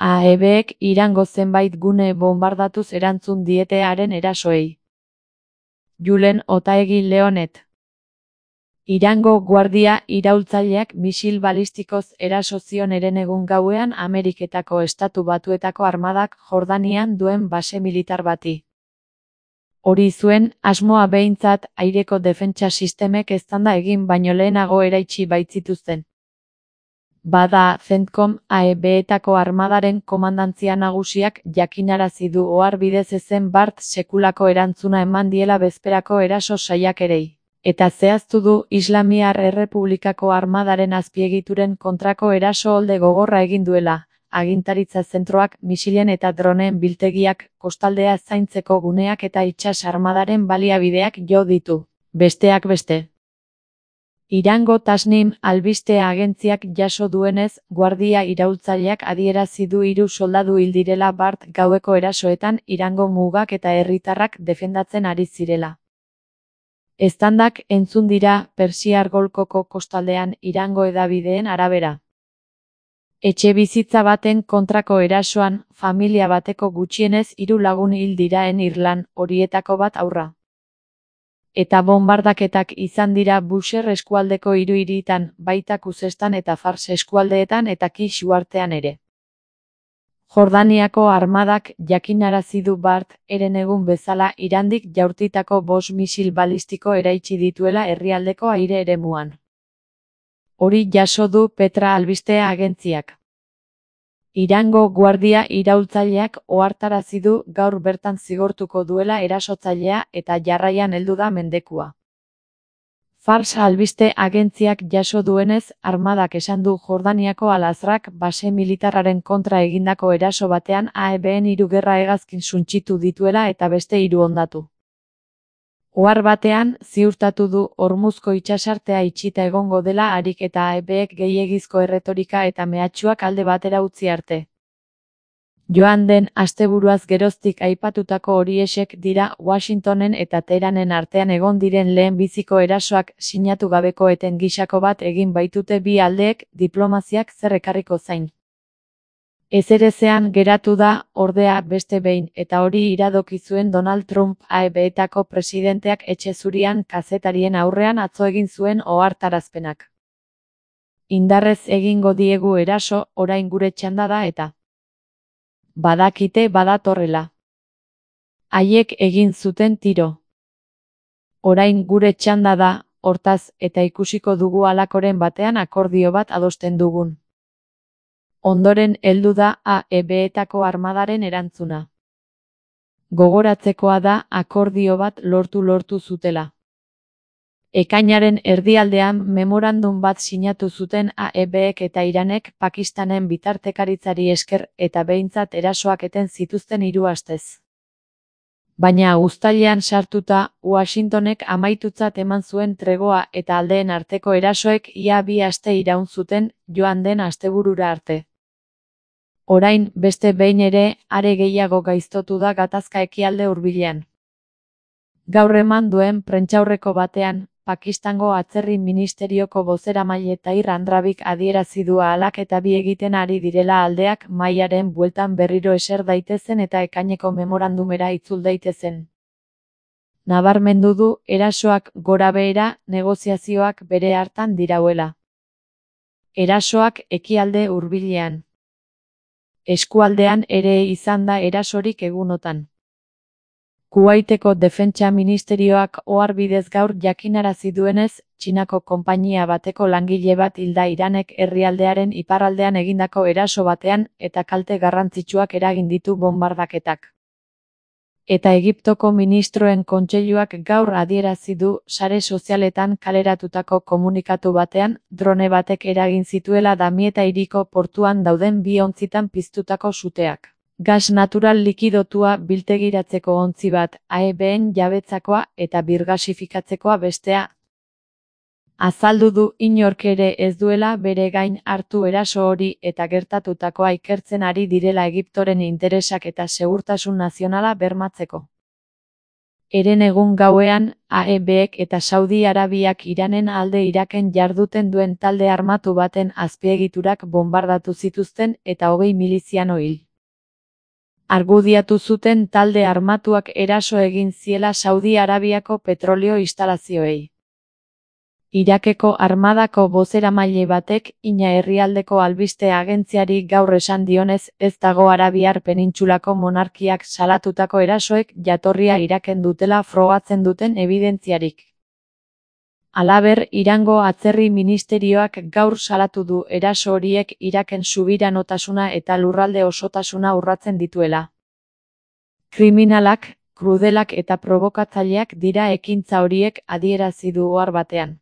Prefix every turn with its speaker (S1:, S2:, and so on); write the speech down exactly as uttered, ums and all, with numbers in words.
S1: A E Bek Irango zenbait gune bombardatuz erantzun diete haren erasoei. Julen Otaegi Leonet. Irango guardia iraultzaileak misil balistikoz eraso zion herenegun gauean Ameriketako Estatu Batuetako armadak Jordanian duen base militar bati. Hori zuen asmoa behintzat aireko defentsa sistemek eztanda egin baino lehenago eraitsi baitzituzten. Bada, CENTCOM A E Betako armadaren komandantzia nagusiak jakinarazi du ohar bidez ezen bart sekulako erantzuna eman diela bezperako eraso saiakerei. Eta zehaztu du Islamiar Errepublikako armadaren azpiegituren kontrako eraso olde gogorra egin duela, agintaritza zentroak, misilen eta droneen biltegiak, kostaldea zaintzeko guneak eta itsas armadaren baliabideak jo ditu, besteak beste. Irango Tasnim albiste agentziak jaso duenez, guardia iraultzaileak adierazi du hiru soldadu hil direla bart gaueko erasoetan Irango mugak eta herritarrak defendatzen ari zirela. Eztandak entzun dira Persiar Golkoko kostaldean Irango hedabideen arabera. Etxebizitza baten kontrako erasoan, familia bateko gutxienez hiru lagun hil diraen Irlan, horietako bat haurra. Eta bonbardaketak izan dira Bushehr eskualdeko hiru hiritan, baita Kuzestan eta Fars eskualdeetan eta Kish uhartean ere. Jordaniako armadak jakinarazi du bart, herenegun bezala Irandik jaurtitako bost misil balistiko eraitsi dituela herrialdeko aire eremuan. Hori jaso du Petra albiste agentziak. Irango guardia iraultzaileak ohartarazi du gaur bertan zigortuko duela erasotzailea eta jarraian heldu da mendekua. Fars albiste agentziak jaso duenez, armadak esan du Jordaniako Al-Azrak base militarraren kontra egindako eraso batean A E Ben hiru gerra hegazkin suntsitu dituela eta beste hiru hondatu. Ohar batean, ziurtatu du Hormuzko itsasartea itxita egongo dela harik eta A E Bek gehiegizko erretorika eta mehatxuak alde batera utzi arte. Joan den asteburuaz geroztik aipatutako horiexek dira Washingtonen eta Teheranen artean egon diren lehen biziko erasoak sinatu gabeko eten gisako bat egin baitute bi aldeek diplomaziak zer ekarriko zain. Ezerezean geratu da, ordea beste behin, eta hori iradoki zuen Donald Trump A E Betako presidenteak etxe zurian kazetarien aurrean atzo egin zuen ohartarazpenak. Indarrez egingo diegu eraso, orain gure txanda da eta badakite badatorrela. Haiek egin zuten tiro. Orain gure txanda da, hortaz, eta ikusiko dugu halakoren batean akordio bat adosten dugun. Ondoren heldu da A E Betako armadaren erantzuna. Gogoratzekoa da akordio bat lortu-lortu zutela. Ekainaren erdialdean memorandum bat sinatu zuten A E Bek eta Iranek Pakistanen bitartekaritzari esker eta behintzat erasoak eten zituzten hiru astez. Baina uztailean sartuta, Washingtonek amaitutzat eman zuen tregoa eta aldeen arteko erasoek ia bi aste iraun zuten joan den asteburura arte. Orain, beste behin ere, are gehiago gaiztotu da gatazka ekialde hurbilean. Gaur eman duen prentsaurreko batean, Pakistango atzerri ministerioko bozeramaile Tahir Andrabik adierazi du ahalak eta bi egiten ari direla aldeak mahaiaren bueltan berriro eser daitezen eta ekaineko memorandumera itzul daitezen. Nabarmendu du erasoak gorabehera negoziazioak bere hartan dirauela. Erasoak ekialde hurbilean. Eskualdean ere izan da erasorik egunotan. Kuwaiteko defentsa ministerioak ohar bidez gaur jakinarazi duenez, Txinako konpainia bateko langile bat hilda Iranek herrialdearen iparraldean egindako eraso batean eta kalte garrantzitsuak eragin ditu bonbardaketak. Eta Egiptoko ministroen kontseiluak gaur adierazi du sare sozialetan kaleratutako komunikatu batean drone batek eragin zituela Damieta hiriko portuan dauden bi ontzitan piztutako suteak. Gas natural likidotua biltegiratzeko ontzi bat, A E Ben jabetzakoa eta birgasifikatzekoa bestea. Azaldu du inork ere ez duela bere gain hartu eraso hori eta gertatutakoa ikertzen ari direla Egiptoren interesak eta segurtasun nazionala bermatzeko. Eren egun gauean, A E Bek eta Saudi Arabiak Iranen alde Iraken jarduten duen talde armatu baten azpiegiturak bonbardatu zituzten eta hogei miliziano hil. Argudiatu zuten talde armatuak eraso egin ziela Saudi Arabiako petrolio instalazioei. Irakeko armadako bozeramaile batek Ina herrialdeko albiste agentziari gaur esan dionez ez dago Arabiar penintsulako monarkiak salatutako erasoek jatorria Iraken dutela frogatzen duten ebidentziarik. Halaber, Irango atzerri ministerioak gaur salatu du eraso horiek Iraken subiranotasuna eta lurralde osotasuna urratzen dituela. Kriminalak, krudelak eta probokatzaileak dira ekintza horiek, adierazi du ohar batean.